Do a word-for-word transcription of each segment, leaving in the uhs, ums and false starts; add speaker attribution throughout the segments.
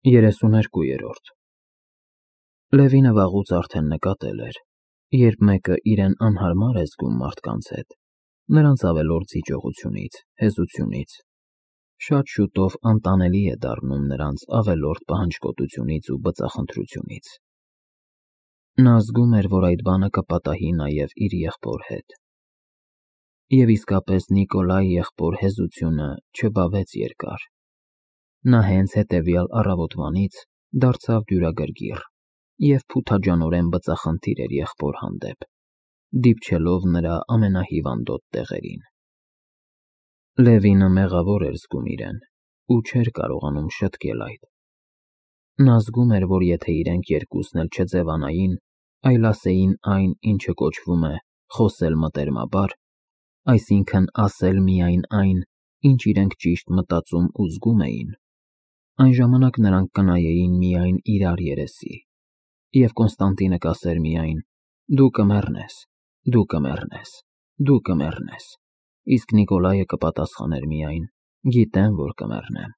Speaker 1: երեսուներկուերորդ Լևինը վաղուց արդեն նկատել էր, երբ մեկը իրեն անհարմար է զգում մարդկանց հետ, նրանց ավելորդ զիջողությունից, հեզությունից, շատ շուտով անտանելի է դառնում նրանց ավելորդ պահանջկոտությունից ու բծախնդրությունից։ Նա զգում էր, որ այդ բանը կպատահի նաև իր եղբոր հետ։ Եվ իսկապես Նիկոլայի եղբոր հեզությունը չբավեց երկար։ Նա հենց հետևյալ առավոտվանից դարձավ դյուրագրգիռ և փութաջանորեն բծախնդիր էր եղբոր հանդեպ, դիպչելով նրա ամենահիվանդոտ տեղերին։ Լևինը մեղավոր էր զգում իրեն ու չէր կարողանում շտկել այդ։ Նա զգում էր, որ եթե իրենք երկուսն էլ չձևանային, այլ ասեին այն, ինչը կոչվում է խոսել մտերմաբար, այսինքն ասել միայն այն, ինչ իրենք ճիշտ մտածում ու զգում էին, այն ժամանակ նրանք կնայեին միայն իրար երեսի, և Կոնստանտինը կասեր միայն. «Դու կմեռնես, դու կմեռնես, դու կմեռնես», իսկ Նիկոլայը կպատասխաներ միայն. «Գիտեմ, որ կմեռնեմ,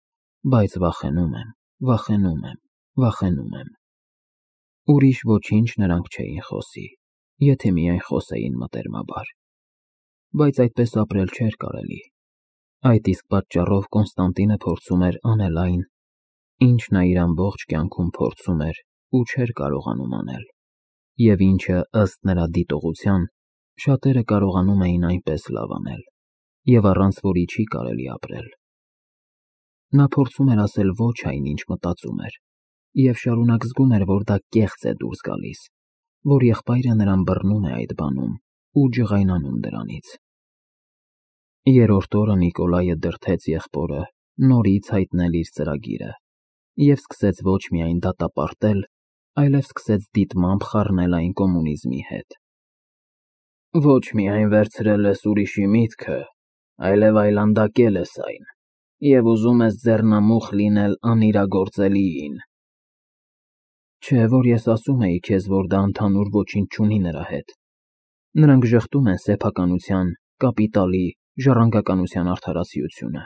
Speaker 1: բայց վախենում եմ, վախենում եմ, վախենում եմ»։ Ուրիշ ոչինչ նրանք չէին խոսի, եթե միայն խոսեին մտերմաբար։ Բայց այդպես ապրել չէր կարելի։ Այդ իսկ պատճառով Կոնստանտինը փորձում էր անել այն, ինչ նա իր ամբողջ կյանքում փորձում էր ու չէր կարողանում անել, և ինչը, ըստ նրա դիտողության, շատերը կարողանում էին այնպես լավ անել, և առանց որի չի կարելի ապրել։ Նա փորձում էր ասել ոչ այն, ինչ մտածում էր, և շարունակ զգում էր, որ դա կեղծ է դուրս գալիս, որ եղբայրը նրան բռնում է այդ բանում ու ջղայնանում դրանից։ Երրորդ օրը Նիկոլայը դրդեց եղբորը նորից հայտնել իր ծրագիրը և սկսեց ոչ միայն դատապարտել, այլև սկսեց դիտմամբ խառնել այն կոմունիզմի հետ։ Ոչ միայն վերցրել ես ուրիշի միտքը, այլև այլանդակել ես այն և ուզում ես ձեռնամուխ լինել անիրագործելիին։ Չէ, որ ես ասում էի քեզ, որ դա ընդհանուր ոչինչ չունի նրա հետ։ Նրանք ժխտում են սեփականության, կապիտալի, ժառանգականության արդարացիությունը,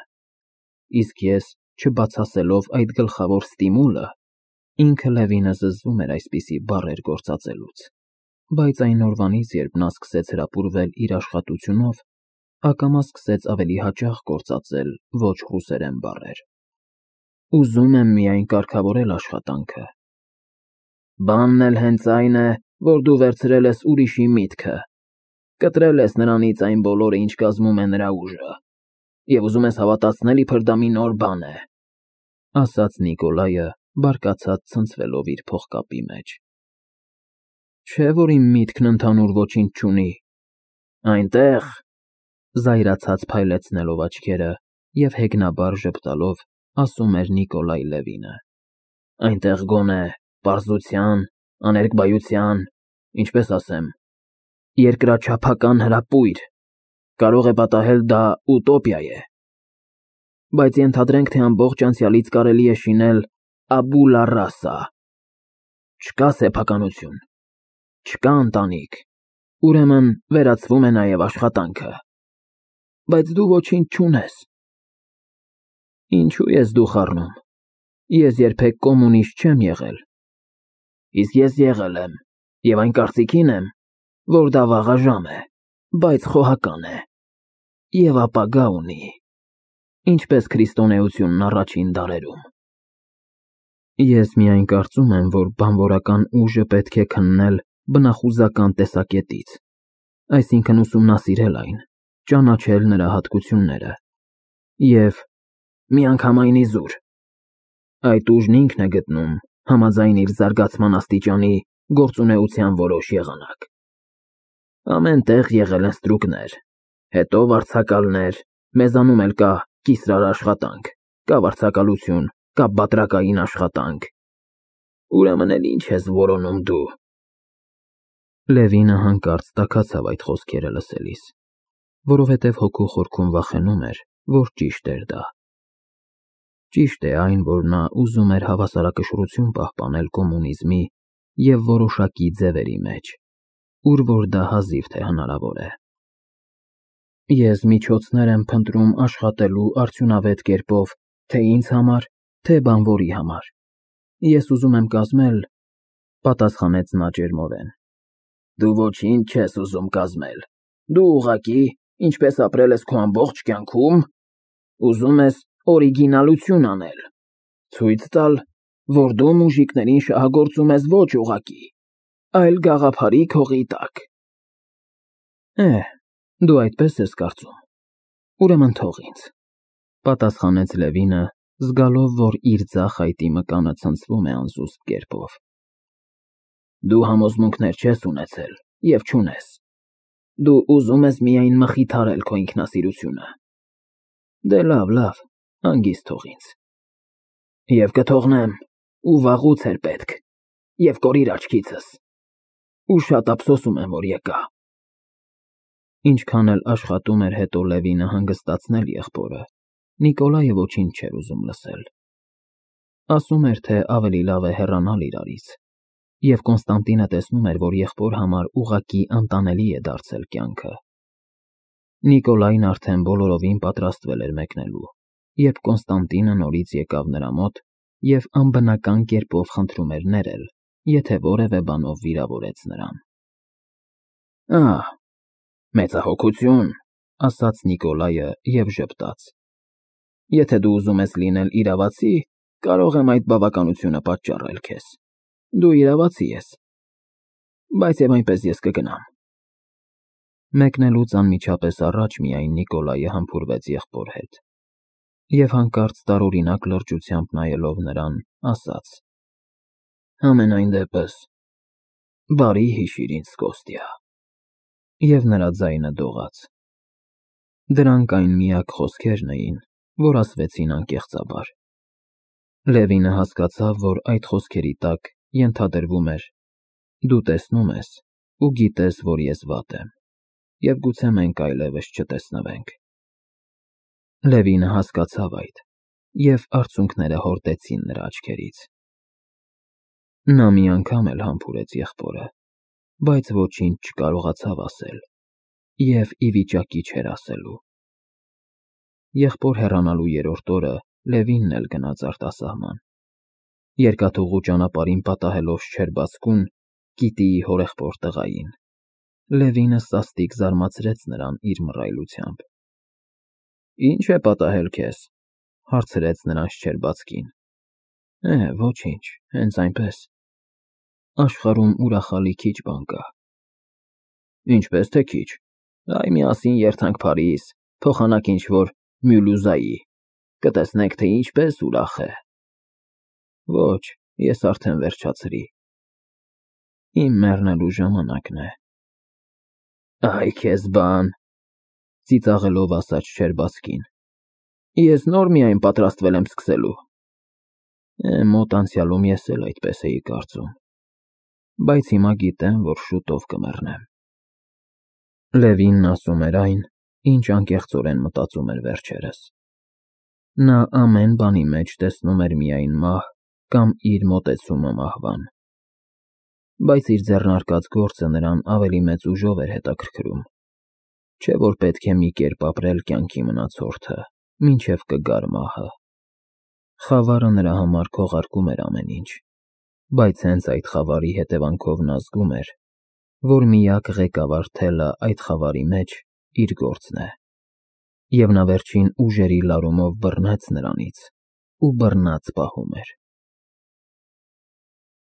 Speaker 1: իսկ ես, չբացասելով այդ գլխավոր ստիմուլը, ինքը Լևինը զզվում էր այսպիսի բառեր գործածելուց, բայց այն օրվանից, երբ նա սկսեց հրապուրվել իր աշխատությունով, ակամա սկսեց ավելի հաճախ գործածել ոչ ռուսերեն բառեր։ Ուզում եմ միայն կարգավորել աշխատանքը։ Բանն էլ հենց այն է, որ դու վերցրել ես ուրիշի միտքը, կտրել ես նրանից այն բոլորը, ինչ կազմում է նրա ուժը, և ուզում ես հավատացնել, իբր դա մի նոր բան է, ասաց Նիկոլայը, բարկացած ցնցվելով իր փողկապի մեջ։ Չէ, որ իմ միտքն ընդհանուր ոչինչ չունի։ Այնտեղ, զայրացած փայլեցնելով աչքերը և հեգնաբար ժպտալով, ասում էր Նիկոլայ Լևինը, այնտեղ գոնե պարզության, աներկբայության, ինչպես ասեմ, երկրաչափական հրապույր, կարող է պատահել դա ուտոպիա է, բայց ենթադրենք, թե ամբողջ անցյալից կարելի է շինել աբուլա ռասա։ Չկա սեփականություն, չկա ընտանիք, ուրեմն վերացվում է նաև աշխատանքը, բայց դու ոչինչ չունես։ Ինչու ես դու խառնում, ես երբեք կոմունիստ չեմ եղել, իսկ ես եղել եմ, և այն կարծիքին եմ, որ դա վաղաժամ է, բայց խոհական է, և ապագա ունի, ինչպես քրիստոնեությունն առաջին դարերում։ Ես միայն կարծում եմ, որ բանվորական ուժը պետք է քննել բնախուզական տեսակետից, այսինքն ուսումնասիրել այն, ճանաչել նրա հատկությունները և միանգամայն իզուր։ Այդ ուժն ինքն է գտնում, համաձայն իր զարգացման աստիճանի, գործունեության որոշ եղանակ։ Ամեն տեղ եղել են ստրուկներ, հետո վարձակալներ, մեզանում էլ կա կիսրար աշխատանք, կա վարձակալություն, կա բատրակային աշխատանք, ուրեմն էլ ինչ ես որոնում դու։ Լևինը հանկարծ տաքացավ այդ խոսքերը լսելիս, որովհետև հոգու խորքում վախենում էր, որ ճիշտ էր դա։ Ճիշտ է այն, որ նա ուզում էր հավասարակշռություն պահպանել կոմունիզմի և որոշակի ձևերի մեջ, ուր որ դա հազիվ թե հնարավոր է։ Ես միջոցներ եմ փնտրում աշխատելու արդյունավետ կերպով թե ինձ համար, թե բանվորի համար, Ես ուզում եմ կազմել, պատասխանեց նա ջերմորեն։ Դու ոչինչ չես ուզում կազմել, դու ուղղակի, ինչպես ապրել ես քո ամբողջ կյանքում, ուզում ես օրիգինալություն անել, ցույց տալ, որ դու մուժիկներին շահագործում ես ոչ ուղղակի, այլ գաղափարի քողի տակ։ Էհ, դու այդպես ես կարծում, ուրեմն թող ինձ, պատասխանեց Լևինը, զգալով, որ իր ձախ այտի մկանը ցնցվում է անզուսպ կերպով։ Դու համոզմունքներ չես ունեցել և չունես, դու ուզում ես միայն մխիթարել քո ինքնասիրությունը։ Դե լավ, լավ, հանգիստ թող ինձ։ Եվ կթողնեմ, ու վաղուց էր պետք, և կորիր աչքիցս, ու շատ ափսոսում եմ, որ եկա։ Ինչքան էլ աշխատում էր հետո Լևինը հանգստացնել եղբորը, Նիկոլայը ոչինչ չէր ուզում լսել։ Ասում էր, թե ավելի լավ է հեռանալ իրարից, և Կոնստանտինը տեսնում էր, որ եղբոր համար ուղղակի անտանելի է դարձել կյանքը։ Նիկոլայն արդեն բոլորովին պատրաստվել էր մեկնելու, երբ Կոնստանտինը նորից եկավ նրա մոտ և անբնական կերպով խնդրում էր ներել, եթե որևէ բանով վիրավորեց նրան։ Ահ, մեծահոգություն, ասաց Նիկոլայը և ժպտաց։ Եթե դու ուզում ես լինել իրավացի, կարող եմ այդ բավականությունը պատճառել քեզ։ Դու իրավացի ես, բայց և այնպես ես կգնամ։ Մեկնելուց անմիջապես առաջ միայն Նիկոլայը համբուրվեց եղբոր հետ և հանկարծ տարօրինակ լրջությամբ նայելով նրան, ասաց. Համենայն դեպս, բարի հիշիր ինձ, Կոստյա։ Եվ նրա ձայնը դողաց։ Դրանք այն միակ խոսքերն էին, որ ասվեցին անկեղծաբար։ Լևինը հասկացավ, որ այդ խոսքերի տակ ենթադրվում էր. դու տեսնում ես ու գիտես, որ ես վատ եմ, և գուցե մենք այլևս չտեսնվենք։ Լևինը հասկացավ այդ, և արցունքները հորդեցին նրա աչքերից։ Նա մի անգամ էլ համբուրեց եղբորը, բայց ոչինչ չկարողացավ ասել և ի վիճակի չէր ասելու։ Եղբոր հեռանալու երրորդ օրը Լևինն էլ գնաց արտասահման։ Երկաթուղու ճանապարհին պատահելով Շչերբացկուն, Կիտիի հորեղբոր տղային, Լևինը սաստիկ զարմացրեց նրան իր մռայլությամբ։ Ի՞նչ է պատահել քեզ, հարցրեց նրան Շչերբացկին։ Է, ոչինչ, հենց այնպես։ Աշխարհում ուրախալի քիչ բան կա։ Ինչպես թե քիչ, այ միասին երթանք Փարիզ, փոխանակ ինչ-որ Մյուլյուզայի, կտեսնենք, թե ինչպես ուրախ է։ Ոչ, ես արդեն վերջացրի։ Իմ մեռնելու ժամանակն է։ Այ քեզ բան, ծիծաղելով ասաց Շչերբացկին։ Ես նոր միայն պատրաստվել եմ սկսելու։ Է, մոտ անցյալում ես էլ այդպես էի կարծում, բայց հիմա գիտեմ, որ շուտով կմեռնեմ։ Լևինն ասում էր այն, ինչ անկեղծորեն մտածում էր վերջերս։ Նա ամեն բանի մեջ տեսնում էր միայն մահ կամ իր մոտեցումը մահվան։ Բայց իր ձեռնարկած գործը նրան ավելի մեծ ուժով էր հետաքրքրում, չէ՞ որ պետք է մի կերպ ապրել կյանքի մնացորդը, մինչև կգար մահը։ Խավարը նրա համար քողարկում էր ամեն ինչ, բայց հենց այդ խավարի հետևանքով նա զգում էր, որ միակ ղեկավար թելը այդ խավարի մեջ իր գործն է, և նա վերջին ուժերի լարումով բռնեց նրանից ու բռնած պահում էր։